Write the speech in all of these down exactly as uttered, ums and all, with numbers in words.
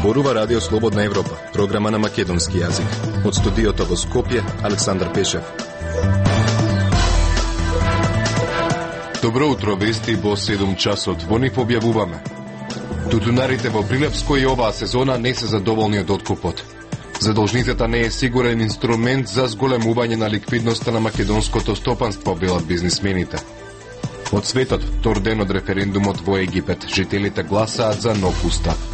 Зборува Радио Слободна Европа, програма на македонски јазик. Од студиото во Скопје, Александар Пешев. Добро утро, вести во седум часот. Во нив објавуваме. Тутунарите во Прилепско и оваа сезона не се задоволни од откупот. Задолжницата не е сигурен инструмент за зголемување на ликвидноста на македонското стопанство, велат бизнисмените. Од светот, втор ден од референдумот во Египет, жителите гласаат за нов устав.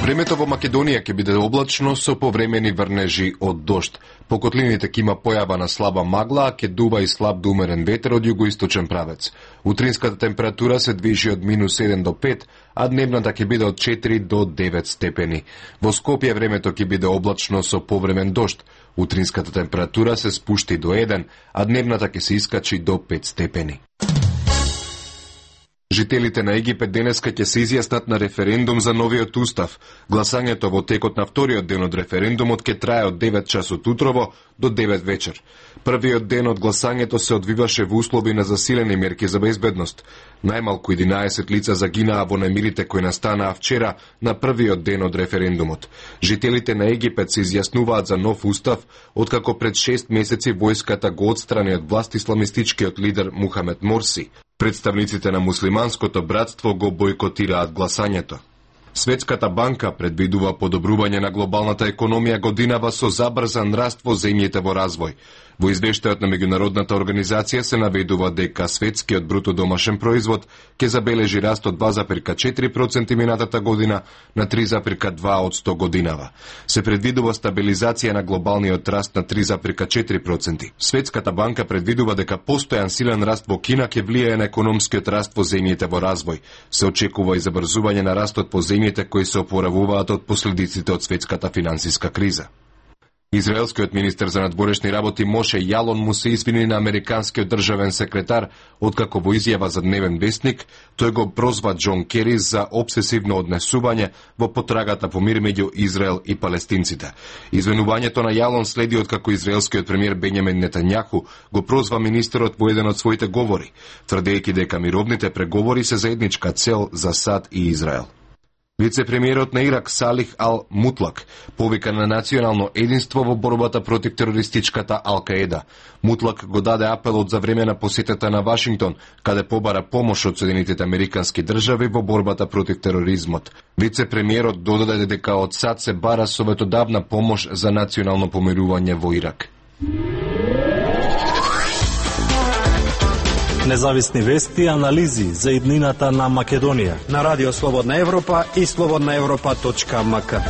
Времето во Македонија ќе биде облачно со повремени врнежи од дожд. По котлините ќе има појава на слаба магла, а ќе дува и слаб до умерен ветер од југоисточен правец. Утринската температура се движи од минус еден до пет, а дневната ќе биде од четири до девет степени. Во Скопје времето ќе биде облачно со повремен дожд. Утринската температура се спушти до еден, а дневната ќе се искачи до пет степени. Жителите на Египет денеска ќе се изјаснат на референдум за новиот устав. Гласањето во текот на вториот ден од референдумот ќе трае од девет часот утрово до девет вечер. Првиот ден од гласањето се одвиваше во услови на засилени мерки за безбедност. Најмалку единаесет лица загинаа во немирите кои настанаа вчера на првиот ден од референдумот. Жителите на Египет се изјаснуваат за нов устав, откако пред шест месеци војската го отстрани од власт исламистичкиот лидер Мухамед Морси. Представниците на муслиманското братство го бойкотираат гласањето. Светската банка предвидува подобрување на глобалната економија годинава со забрзан раст во земјите во развој. Во извештајот на меѓународната организација се наведува дека светскиот бруто домашен производ ќе забележи раст од два зарез четири проценти минатата година на три зарез два одсто годинава. Се предвидува стабилизација на глобалниот раст на три зарез четири проценти. Светската банка предвидува дека постојан силен раст во Кина ќе влијае на економскиот раст во земјите во развој. Се очекува и забрзување на растот по земјите кои се опоравуваат од последиците од светската финансиска криза. Израелскиот министер за надворешни работи Моше Јалон му се извини на американскиот државен секретар, откако во изјава за Дневен вестник, тој го прозва Џон Кери за обсесивно однесување во потрагата по мир меѓу Израел и палестинците. Извинувањето на Јалон следи откако израелскиот премиер Бенјамин Нетањаху го прозва министерот во еден од своите говори, тврдејќи дека мировните преговори се заедничка цел за САД и Израел. Вице-премиерот на Ирак Салих Ал Мутлак повика на национално единство во борбата против терористичката Ал-Каеда. Мутлак го даде апелот за време на посетата на Вашингтон, каде побара помош од Соединетите американски држави во борбата против тероризмот. Вице-премиерот додаде дека од САД се бара советодавна помош за национално помирување во Ирак. Независни вести и анализи за иднината на Македонија на Радио Слободна Европа и слободна европа точка ем ка.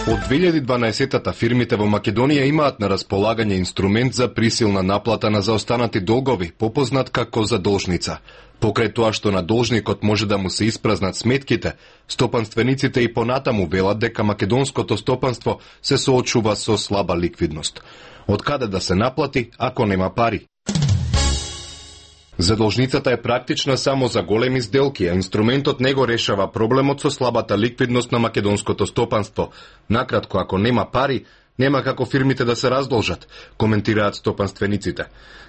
Од две илјади и дванаесеттата фирмите во Македонија имаат на располагање инструмент за присилна наплата на заостанати долгови, попознат како задолжница. Покрај тоа што на должникот може да му се испразнат сметките, стопанствениците и понатаму велат дека македонското стопанство се соочува со слаба ликвидност. Од каде да се наплати ако нема пари? Задолжницата е практична само за големи сделки, а инструментот не го решава проблемот со слабата ликвидност на македонското стопанство. Накратко, ако нема пари, нема како фирмите да се раздолжат, коментираат стопанствениците.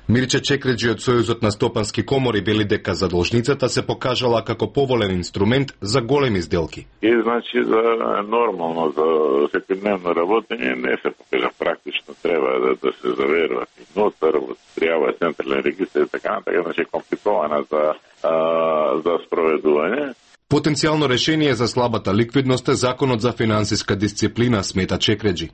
Мирче Чекреджи од Сојузот на стопански комори вели дека задолжницата се покажала како поволен инструмент за големи сделки. И значи за нормално за секојдневно работење не се покажа практично, треба да, да се заверува и нотар, треба централен регистар и така натака, значи компликована за а, за спроведување. Потенцијално решение за слабата ликвидност е законот за финансиска дисциплина, смета Чекреджи.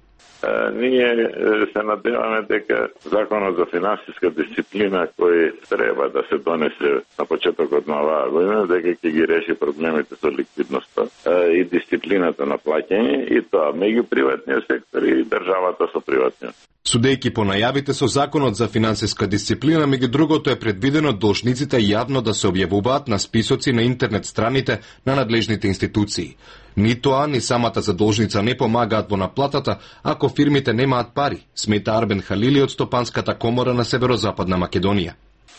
Ние се надеваме дека законот за финансиска дисциплина кој треба да се донесе на почетокот на оваа година, дека ќе ги реши проблемите со ликвидноста и дисциплината на плаќање, и тоа меѓу приватниот сектор и државата со приватниот. Судејќи по најавите со законот за финансиска дисциплина, меѓу другото е предвидено должниците јавно да се објавуваат на списоци на интернет страните на надлежните институции. Ни тоа, ни самата задолжница не помагаат во наплатата ако фирмите немаат пари, смета Арбен Халили од Стопанската комора на Северозападна Македонија.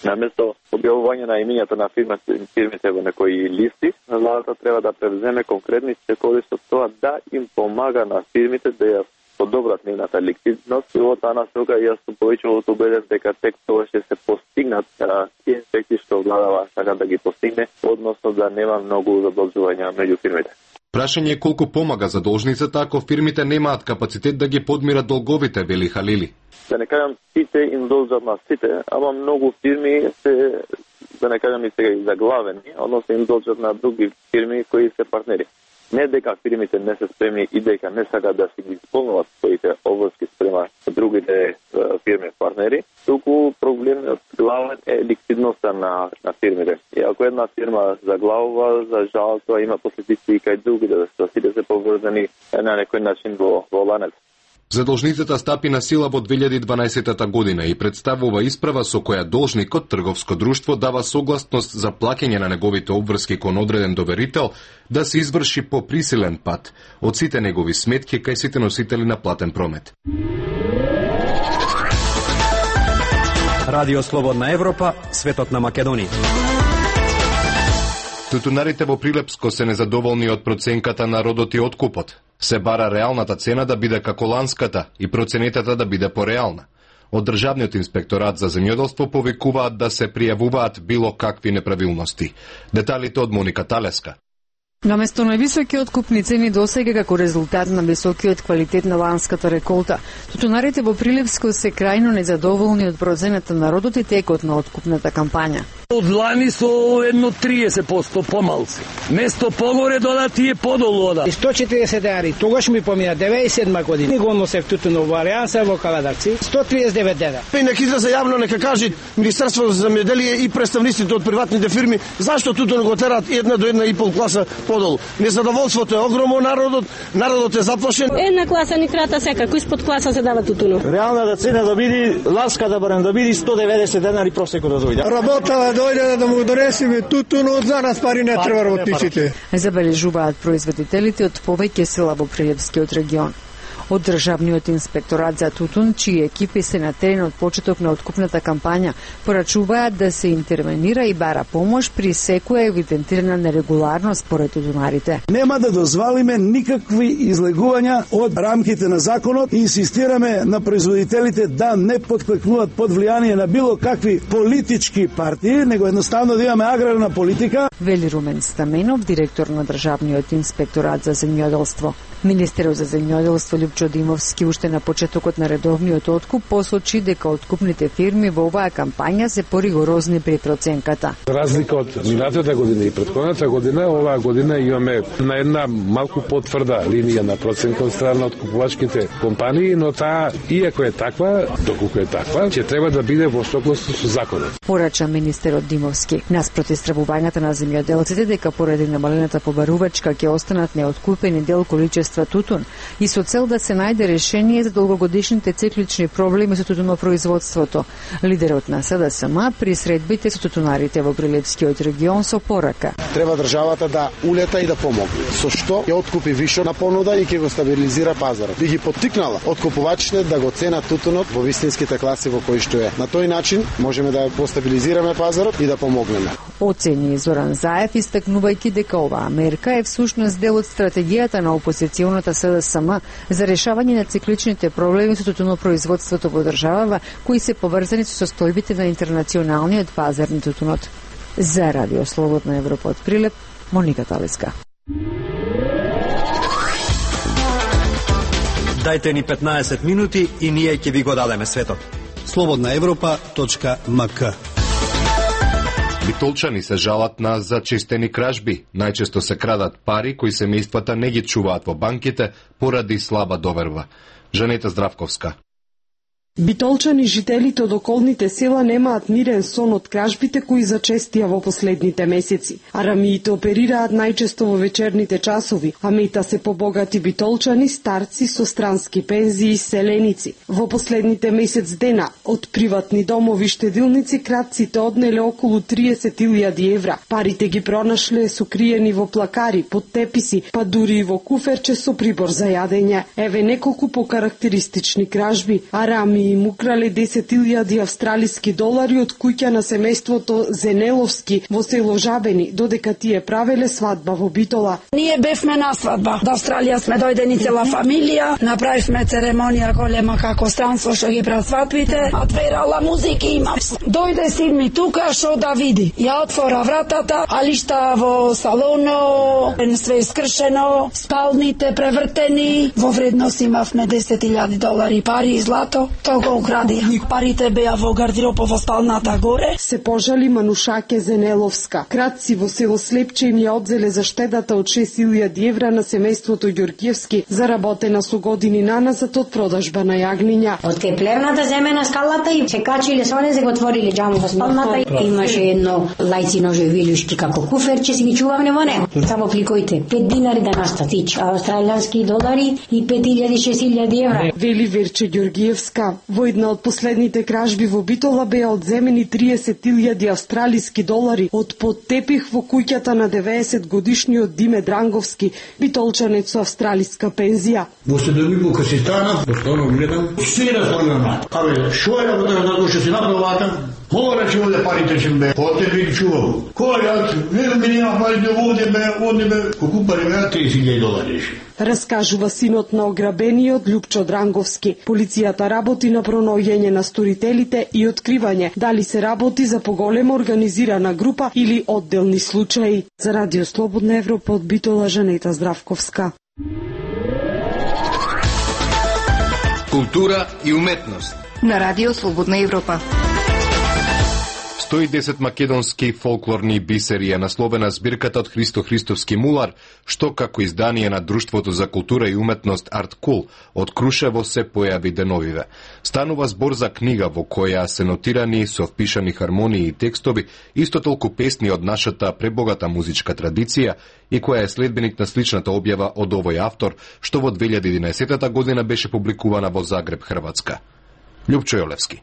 Наместо објавување на имињата на фирмите, фирмите во некои листи, владата треба да превземе конкретни стекови со тоа да им помага на фирмите да ја подобрат нивната ликвидност и во таа насока јас сум повеќе убеден дека тек тоа ќе се постигнат тие ефекти што владава сака да ги постигне, односно да нема многу задолжувања меѓу фирмите. Прашање е колку помага задолжницата ако фирмите немаат капацитет да ги подмират долговите, вели Халили. Да не кажам сите им должат на сите, ама многу фирми се, да не кажам и сега и заглавени, односно им должат на други фирми кои се партнери. Не дека фирмите не се спремни и дека не сакаат да си ги исполнуват своите обврски спрема другите е, фирми партнери, туку проблемот главен е ликвидноста на, на фирмите. И ако една фирма заглавува, за жал тоа има последици и кај другите, да сите се поврзани на некој начин во, во ланец. Задолжницата стапи на сила во две илјади и дванаесетта година и представува исправа со која должникот, трговско друштво, дава согласност за плаќање на неговите обврски кон одреден доверител да се изврши по присилен пат од сите негови сметки кај сите носители на платен промет. Радио Слободна Европа, светот на Македонија. Тутунарите во Прилепско се незадоволни од проценката на родот и откупот. Се бара реалната цена да биде како ланската и проценетата да биде пореална. Од Државниот инспекторат за земјоделство повикуваат да се пријавуваат било какви неправилности. Деталите од Моника Талеска. Наместо највисоки откупни цени досега како резултат на високиот квалитет на ланската реколта, тутунарите во Прилепско се крајно незадоволни од процената на родот и текот на откупната кампања. Од лани со едно триесет проценти помалци. Место погоре додати е подолу ода. сто четиридесет денари, тогаш ми помина деветдесет и седма година. Го носев тутуно во Алијанса во Каладарци, сто триесет и девет денари. И нека излезе јавно, нека кажи Министерството за земјоделие и представниците од приватните фирми зашто тутуно го терат една до една и пол класа подолу. Незадоволството е огромно народот, народот е заплашен. Една класа ни крата секако, испод класа се дава тутуно. Реалната цена да биде ланска да барем да биде сто деветдесет денари просеко да дојде. Работа дојде да му донесеме тутуно, за нас пари не треба работниците. Забележуваат производителите од повеќе села во Прилепскиот регион. Од Државниот инспекторат за тутун, чии екипи се на терен од почеток на откупната кампања, порачуваат да се интервенира и бара помош при секоја евидентирана нерегуларност според тутунарите. Нема да дозволиме никакви излегувања од рамките на законот и инсистираме на производителите да не потклекнуваат под влијание на било какви политички партии, него едноставно да имаме аграрна политика. Вели Румен Стаменов, директор на Државниот инспекторат за земјоделство. Министерот за земјоделство Лјупчо Димовски уште на почетокот на редовниот откуп посочи дека откупните фирми во оваа кампања се поригорозни при проценката. За разлика од минатата година и претходната година, оваа година имаме на една малку потврда линија на проценка од страна од купувачките компании, но таа, иако е таква, доколку е таква, ќе треба да биде во согласност со законот. Порача министерот Димовски. Наспроти стравувањата на земјоделците дека поради намалената побарувачка ќе останат неоткупени дел количество тутун и со цел да се најде решение за долгогодишните циклични проблеми со тутунопроизводството. Лидерот на СДСМ при средбите со тутунарите во Прилепскиот регион со порака. Треба државата да улета и да помогне. Со што ќе откупи више на понуда и ќе го стабилизира пазарот. Би ги поттикнала откупувачите да го ценат тутунот во вистинските класи во кои што е. На тој начин можеме да го стабилизираме пазарот и да помогнеме. Оцени Зоран Заев, истакнувајќи дека оваа мерка е всушност дел од стратегијата на опозиционата СДСМ за решавање на цикличните проблеми со тутунопроизводството во државава, кои се поврзани со состојбите на интернационалниот пазар на тутунот. За Радио Слободна Европа од Прилеп, Моника Талеска. Дајте ни петнаесет минути и ние ќе ви го дадеме светот. слободна европа точка ем ка. Битолчани се жалат на зачистени кражби. Најчесто се крадат пари кои семејствата не ги чуваат во банките поради слаба доверба. Жанета Здравковска. Битолчани, жителите од околните села, немаат мирен сон од кражбите кои зачестија во последните месеци. Арамиите оперираат најчесто во вечерните часови, а мета се побогати битолчани, старци со странски пензии и селеници. Во последните месец дена од приватни домови штедилници кратците однеле околу триесет илјади евра. Парите ги пронашле сокриени во плакари, под теписи, па дури и во куферче со прибор за јадење. Еве неколку покарактеристични кражби. Арами Грабени им украле десет илјади австралиски долари од куќа на семејството Зенеловски во село Жабени, додека тие правеле свадба во Битола. Ние бевме на свадба. До Австралија сме дојдени цела фамилија, направивме церемонија голема како странство што ги прават свадбите, атверала музики има. Дојде син ми тука што да види. Ја отвора вратата, алишта во салоно, све искршено, спалните превртени, во вредност имавме десет илјади долари пари и злато, тоа го украдија. Парите беа во гардеробот во спалната горе. Се пожали Манушаке Зенеловска. Кратци во село Слепче им ја одзеле за штедата од шест илјади евра на семејството Ѓорѓевски, заработена со години наназад од продажба на јагниња. Од кеплерната земе на скалата и се качиле со не се го отвориле џаму во спалната. Имаше едно лајцино живилушки како куферче, си ги чувавме во него. Само кликојте, пет динари да настатич, австралијански долари и пет илјади шест илјади евра. Вели Верче Ѓорѓиевска. Во една од последните кражби во Битола беа одземени триесет илјади австралиски долари од под тепих во куќата на деветдесет годишниот Диме Дранговски, битолчанец со австралиска пензија. Во се да ми бука си станав, постојано гледам, се разлогам. Абе, шо е работа да душе си направил вака? Мора че оде парите ќе бе, оте би чувал. Кој јас, не ми нема парите оде бе, оде бе, колку пари беа триесет илјади долари. Раскажува синот на ограбениот Љупчо Дранговски. Полицијата работи на пронаоѓање на сторителите и откривање дали се работи за поголема организирана група или одделни случаи. За Радио Слободна Европа од Битола, Жанета Здравковска. Култура и уметност на Радио Слободна Европа. сто и десет македонски фолклорни бисери е насловена збирката од Христо Христовски мулар, што како издание на Друштвото за култура и уметност Арткул од Крушево се појави деновиве. Станува збор за книга во која се нотирани со впишани хармонии и текстови исто толку песни од нашата пребогата музичка традиција и која е следбеник на сличната објава од овој автор, што во две илјади и единаесета година беше публикувана во Загреб, Хрватска. Љупчо Јолевски.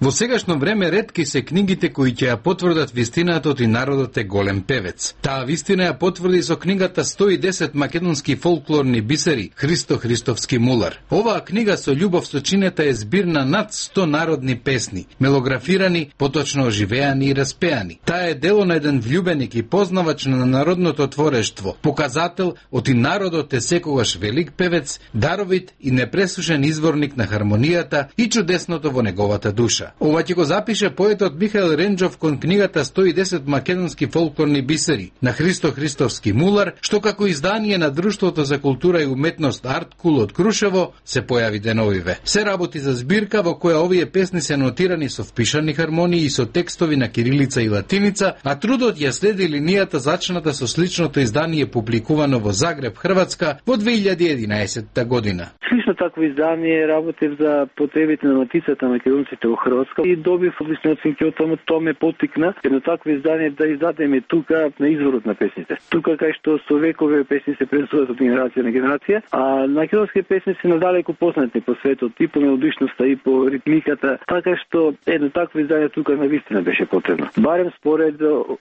Во сегашно време ретки се книгите кои ќе ја потврдат вистината и народот е голем певец. Таа вистина ја потврди со книгата сто и десет македонски фолклорни бисери Христо Христовски мулар. Оваа книга со љубов сочинета е збир на над сто народни песни, мелографирани, поточно оживеани и распеани. Таа е дело на еден влюбеник и познавач на народното творештво, показател од и народот е секогаш велик певец, даровит и непресушен изворник на хармонијата и чудесното во неговата душа. Ова ќе го запише поетот Михаил Ренџов кон книгата сто и десет македонски фолклорни бисери на Христо Христовски мулар, што како издание на Друштвото за култура и уметност Арткул од Крушево се појави деновиве. Се работи за збирка во која овие песни се нотирани со впишани хармонии и со текстови на кирилица и латиница, а трудот ја следи линијата зачната со сличното издание публикувано во Загреб, Хрватска во две илјади и единаесета година. Слично такво издание работев за потребите на матицата на македонците во Хрватска и добив одлични оценки од таму, тоа ме поттикна едно такво издание да издадеме тука на изворот на песните. Тука кај што со векове песни се пренесуваат од генерација на генерација, а македонски песни се надалеку познати по светот и по мелодичноста и по ритмиката, така што едно такво издание тука навистина беше потребно. Барем според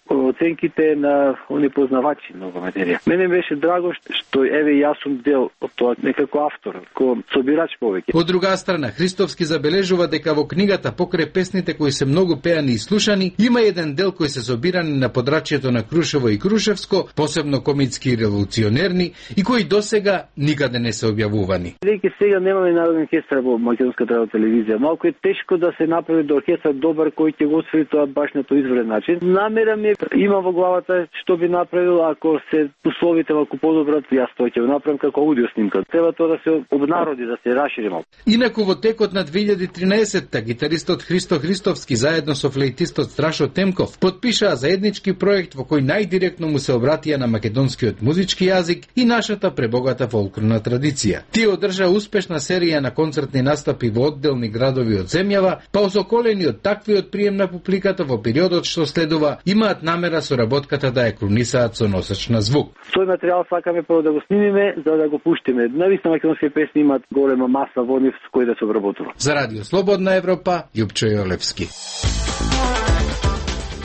оценките на они познавачи на оваа материја. Мене беше драго што еве јас сум дел од тоа некако автор, ко собирач повеќе. Од друга страна, Христовски забележува дека во книгата покрај песните кои се многу пеани и слушани, има еден дел кој се собирани на подрачјето на Крушево и Крушевско, посебно комицки и револуционерни, и кои досега никаде не се објавувани. Веќе сега немаме народен оркестар во македонската радиотелевизија. Малку е тешко да се направи до оркестар добар кој ќе го освои тоа баш на тој изврен начин. Намера ми има во главата што би направил ако се условите малку подобрат, јас тоа ќе го направам како аудио снимка. Треба тоа да се обнароди, да се расшири малку. Инаку во текот на две илјади и тринаесета гитаристот Христо Христовски заедно со флейтистот Страшо Темков подпишаа заеднички проект во кој најдиректно му се обратија на македонскиот музички јазик и нашата пребогата фолклорна традиција. Тие одржаа успешна серија на концертни настапи во одделни градови од земјава, па осоколени од таквиот прием на публиката во периодот што следува, имаат намера соработката да ја крунисаат со носеч на звук. Тој материјал сакаме прво да го снимиме, за да го пуштиме. Навистина македонски песни имаат голема маса во нив со кои да се обработува. За Радио Слободна Европа, Љупчо Јолевски.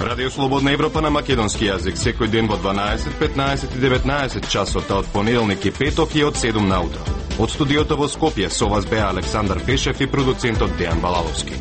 Радио Слободна Европа на македонски јазик секој ден во дванаесет, петнаесет и деветнаесет часот, од понеделник и петок и од седум наутро. Од студиото во Скопје со вас беа Александар Пешев и продуцентот Дејан Балаловски.